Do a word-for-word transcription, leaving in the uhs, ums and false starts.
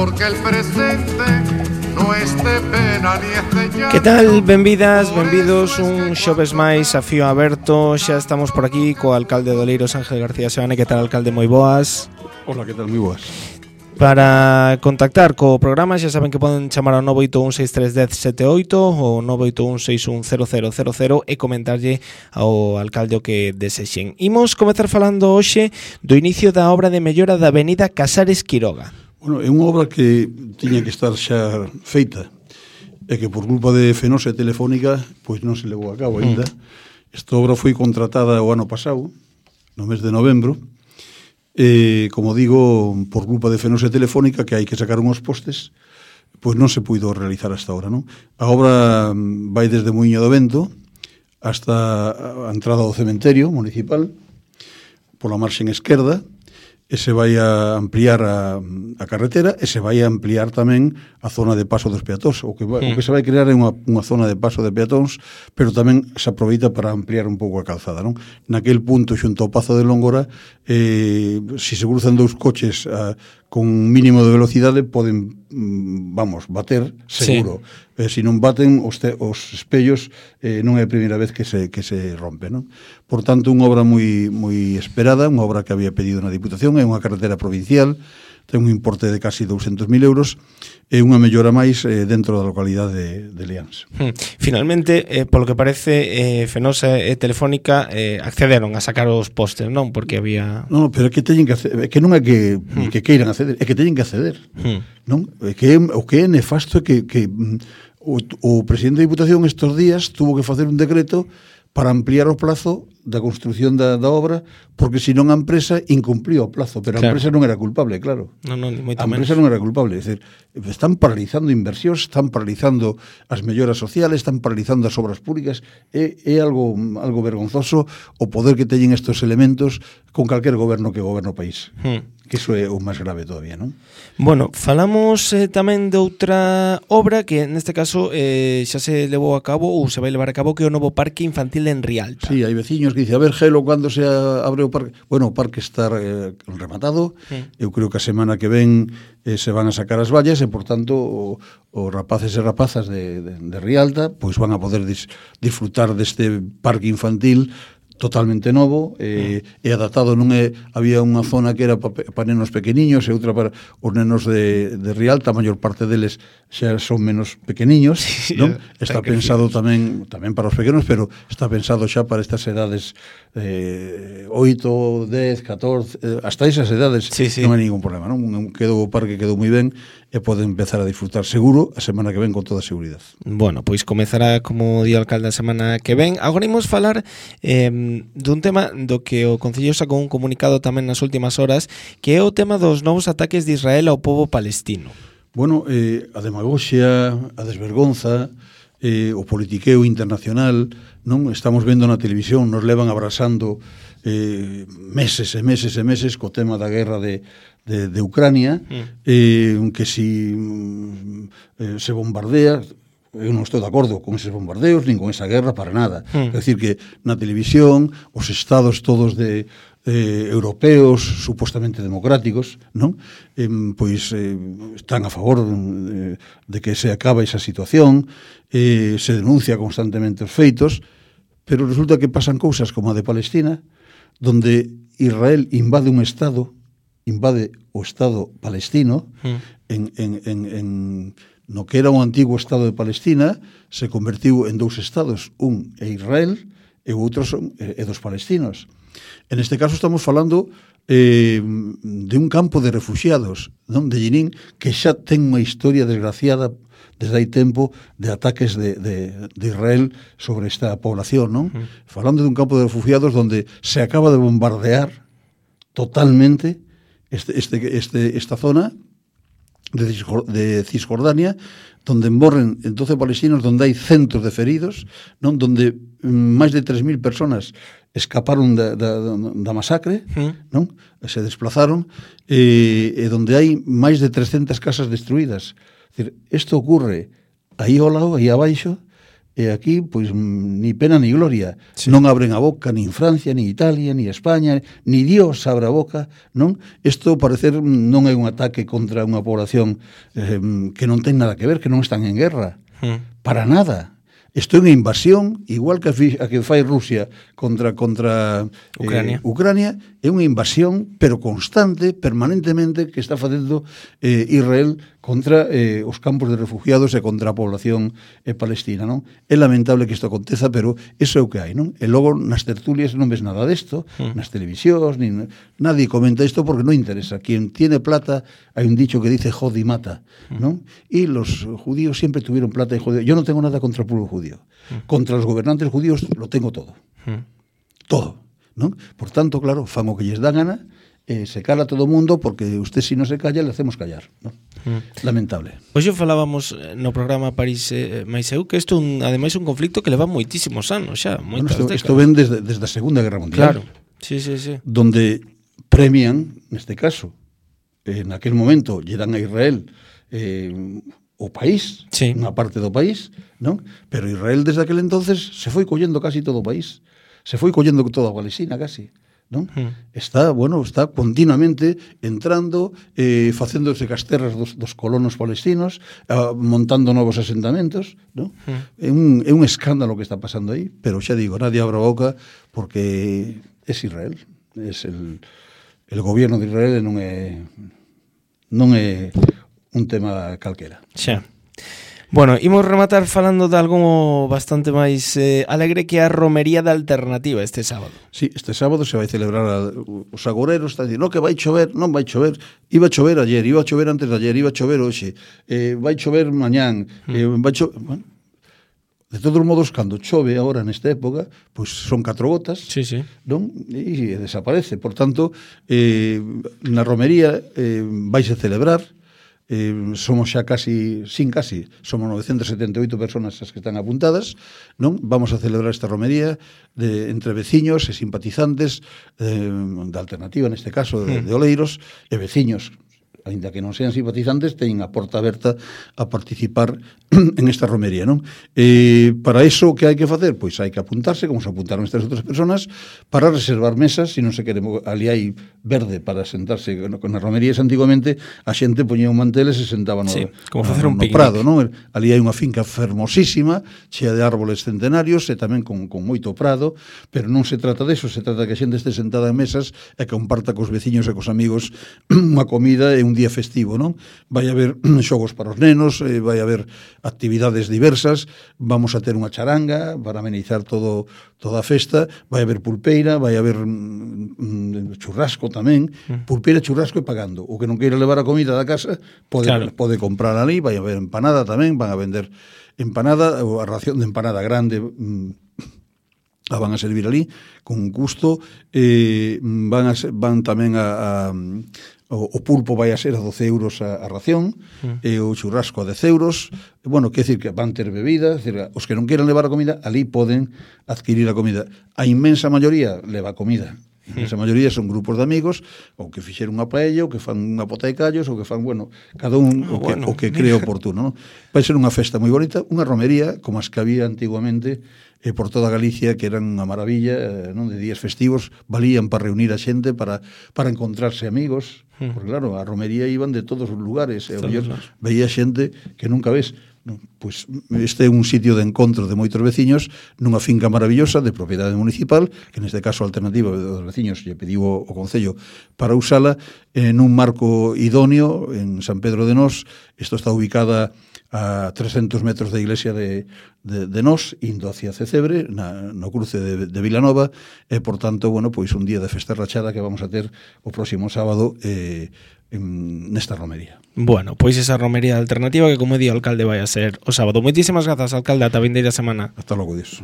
porque el presente no es de pena ni es de llanto. Que tal? Benvidas, benvidos un xoves máis a Fío Aberto. Xa estamos por aquí co alcalde de Oleiros, Ángel García Seoane. Que tal, alcalde? Moi boas. Hola, que tal? Moi boas. Para contactar co programa xa saben que poden chamar ao nove oito un seis tres un cero sete oito ou nove oito un seis un cero cero cero cero e comentarlle ao alcalde o que desexen. Imos comezar falando hoxe do inicio da obra de mellora da avenida Casares Quiroga. Bueno, é unha obra que tiña que estar xa feita e que por culpa de Fenosa e Telefónica pois non se levou a cabo ainda. Mm. Esta obra foi contratada o ano pasado, no mes de novembro. E, como digo, por culpa de Fenosa e Telefónica, que hai que sacar unhos postes, pois non se puido realizar hasta ahora, non? A obra vai desde Muiño do Vento hasta a entrada do cementerio municipal, pola marxen esquerda, e se vai a ampliar a, a carretera e se vai a ampliar tamén a zona de paso dos peatóns. O que, vai, mm. o que se vai crear é unha, unha zona de paso de peatóns, pero tamén se aproveita para ampliar un pouco a calzada, non? Naquel punto, xunto ao Pazo de Longora, eh, se se cruzan dous coches a, con un mínimo de velocidade, poden, vamos, bater, seguro. Sí. Eh, se non baten, os, te, os espellos eh, non é a primeira vez que se, que se rompe, non? Por tanto, unha obra moi, moi esperada, unha obra que había pedido na Diputación, é unha carretera provincial, ten un importe de casi douscentos mil euros, e unha mellora máis eh, dentro da localidade de, de Leáns. Hmm. Finalmente, eh, polo que parece, eh, Fenosa e Telefónica eh, accederon a sacar os postes, non? Porque había... Non, pero é que teñen que acceder, que non é que, hmm. que queiran acceder, é que teñen que acceder, hmm. non? É que o que é nefasto é que, que o, o presidente da Diputación estes días tuvo que facer un decreto para ampliar o plazo da construción da, da obra, porque senón a empresa incumplía o plazo, pero a claro. empresa non era culpable, claro. No, no, ni moito a empresa menos. Non era culpable, é dicir, están paralizando inversións, están paralizando as melloras sociales, están paralizando as obras públicas, é, é algo algo vergonzoso o poder que teñen estes elementos con calquer goberno que goberno o país. Hmm. Que iso é o máis grave todavía, non? Bueno, falamos eh, tamén de outra obra que neste caso eh, xa se levou a cabo ou se vai levar a cabo, que é o novo parque infantil en Rialta. Sí, hai veciños que dicen, a ver, Gelo, cando se abre o parque? Bueno, o parque está eh, rematado, sí. Eu creo que a semana que ven eh, se van a sacar as vallas e, por tanto, os rapaces e rapazas de, de, de Rialta pois van a poder dis, disfrutar deste parque infantil totalmente novo eh, mm. e adaptado. Non é, había unha zona que era para pa nenos pequeniños e outra para os nenos de, de Rialta, a maior parte deles xa son menos pequeniños, sí, non? Está pensado tamén tamén para os pequenos, pero está pensado xa para estas edades eh, oito, dez, catorce, eh, hasta esas edades, sí, sí. Non hai ningún problema, non? Quedou o parque, quedou moi ben e poden empezar a disfrutar seguro a semana que ven con toda a seguridade. Bueno, pois comezará, como di o alcalde, a semana que ven. Agora imos falar eh, dun tema do que o Concello sacou un comunicado tamén nas últimas horas, que é o tema dos novos ataques de Israel ao pobo palestino. Bueno, eh, a demagoxia, a desvergonza, eh, o politiqueo internacional, non? Estamos vendo na televisión, nos levan abrasando eh, meses e meses e meses co tema da guerra de de, de Ucrania, mm. eh, que si eh, se bombardea. Eu non estou de acordo con eses bombardeos nin con esa guerra para nada. Mm. É dicir que na televisión os estados todos de eh, europeos supostamente democráticos, non? Eh, pois eh, están a favor de, de que se acaba esa situación, eh, se denuncia constantemente os feitos, pero resulta que pasan cousas como a de Palestina, donde Israel invade un estado, invade o estado palestino, mm. en, en, en, en no que era un antigo estado de Palestina, se convertiu en dous estados, un é Israel e o outro son é dos palestinos. En este caso estamos falando eh, de un campo de refugiados, non? De Jenin, que xa ten unha historia desgraciada desde hai tempo de ataques de, de, de Israel sobre esta población, non? Uh-huh. Falando de un campo de refugiados donde se acaba de bombardear totalmente este, este, este, esta zona de Cisjordania, donde morren doce palestinos, donde hai centros de feridos, non? Donde máis de tres mil personas escaparon da, da, da masacre, mm. non? Se desplazaron, e, e donde hai máis de trescentas casas destruídas. Es decir, isto ocurre aí ao lado, aí abaixo, e aquí, pois, ni pena ni gloria. Sí. Non abren a boca nin Francia, ni Italia, ni España, ni Dios abre a boca, non? Isto, parecer, non é un ataque contra unha población eh, que non ten nada que ver, que non están en guerra. Mm. Para nada. Isto é unha invasión, igual que a, fi, a que fai Rusia contra contra Ucrania. Eh, Ucrania, é unha invasión, pero constante, permanentemente, que está facendo eh, Israel contra eh, os campos de refugiados e contra a población eh, palestina, non? É lamentable que isto aconteza, pero iso é o que hai, non? E logo nas tertulias non ves nada desto, mm. nas televisións, nin, nadie comenta isto porque non interesa. Quien tiene plata, hai un dicho que dice jod y mata, non? E los judíos siempre tuvieron plata y judíos. Yo no tengo nada contra el pueblo judío. Mm. Contra los gobernantes judíos lo tengo todo. Mm. Todo, non? Por tanto, claro, fan o que lles dá gana, eh, se cala todo o mundo, porque usted si non se calla, le hacemos callar, non? Mm. Lamentable. Hoxe falábamos no programa París eh, máis eu que isto un, ademais un conflicto que leva moitísimos anos xa, moitas bueno, isto, décadas. Isto ven desde, desde a Segunda Guerra Mundial. Claro, sí, sí, sí. Donde premian, neste caso, en aquel momento lle dan a Israel eh, o país, sí. Unha parte do país, non? Pero Israel desde aquel entonces se foi collendo casi todo o país. Se foi collendo toda a Palestina casi, non? Mm. Está, bueno, está continuamente entrando, eh, facéndose casterras dos, dos colonos palestinos, eh, montando novos asentamentos, non? Mm. É, un, é un escándalo que está pasando aí, pero xa digo, nadie abra a boca porque é Israel, é el, el gobierno de Israel non é non é un tema calquera. Xa. Bueno, imos rematar falando de algo bastante máis eh, alegre que a romería da alternativa este sábado. Sí, este sábado se vai celebrar a, os agoreros, está dicindo, no, que vai chover, non vai chover, iba a chover ayer, iba a chover antes de ayer, iba a chover hoxe, eh, vai chover mañán, mm. eh, vai chover... Bueno, de todos os modos, cando chove agora nesta época, pois son catro gotas, sí, sí. non? E desaparece. Por tanto, eh, na romería eh, vaise celebrar. Eh, somos xa casi, sin casi, somos novecentas setenta e oito personas as que están apuntadas, non? Vamos a celebrar esta romería de, entre veciños e simpatizantes eh, da alternativa, neste caso, de, de Oleiros, e veciños, ainda que non sean simpatizantes, teñen a porta aberta a participar en esta romería, non? Eh, para iso, que hai que facer? Pois hai que apuntarse, como se apuntaron estas outras personas, para reservar mesas, se non se quere, ali hai verde para sentarse, con as romerías antiguamente, a xente poñía un mantel e se sentaba no, sí, como no, facer un no prado, non? Ali hai unha finca fermosísima, chea de árboles centenarios, e tamén con, con moito prado, pero non se trata deso, se trata que a xente este sentada en mesas e que comparta cos veciños e cos amigos unha comida e un día festivo, non? Vai haber xogos para os nenos, eh, vai haber actividades diversas, vamos a ter unha charanga para amenizar todo toda a festa, vai haber pulpeira, vai haber mm, churrasco tamén, mm. pulpeira, churrasco e pagando. O que non queira levar a comida da casa pode, claro. pode comprar ali, vai haber empanada tamén, van a vender empanada, ou a ración de empanada grande mm, a van a servir ali con gusto, eh, van, a, van tamén a, a O, o pulpo vai a ser a doce euros a, a ración, mm. e o churrasco a dez euros. E, bueno, quer decir que van ter bebida, decir, os que non queran levar a comida, ali poden adquirir a comida. A inmensa maioría leva comida. A inmensa mm. maioría son grupos de amigos, ou que fixeron unha paella, ou que fan unha pota de callos, ou que fan, bueno, cada un oh, o, que, bueno. o que cree oportuno, non? Vai ser unha festa moi bonita, unha romería, como as que había antiguamente, e por toda Galicia, que eran unha maravilla, non? De días festivos, valían para reunir a xente, para, para encontrarse amigos, mm. porque claro, a romería iban de todos os lugares, e eu veía xente que nunca ves. No, pois este é un sitio de encontro de moitos veciños nunha finca maravillosa de propiedade municipal, que neste caso a alternativa dos veciños lle pediu o, o Concello para usala en un marco idóneo en San Pedro de Nós. Isto está ubicada a trescentos metros da iglesia de, de, de Nós, indo hacia Cecebre, na, no cruce de, de Vilanova, e, por tanto, bueno, pois un día de festa rachada que vamos a ter o próximo sábado eh, en, nesta romería. Bueno, pois esa romería alternativa que, como di o alcalde, vai a ser o sábado. Moitísimas grazas, alcalde, ata a vindeira semana. Hasta logo, Dios.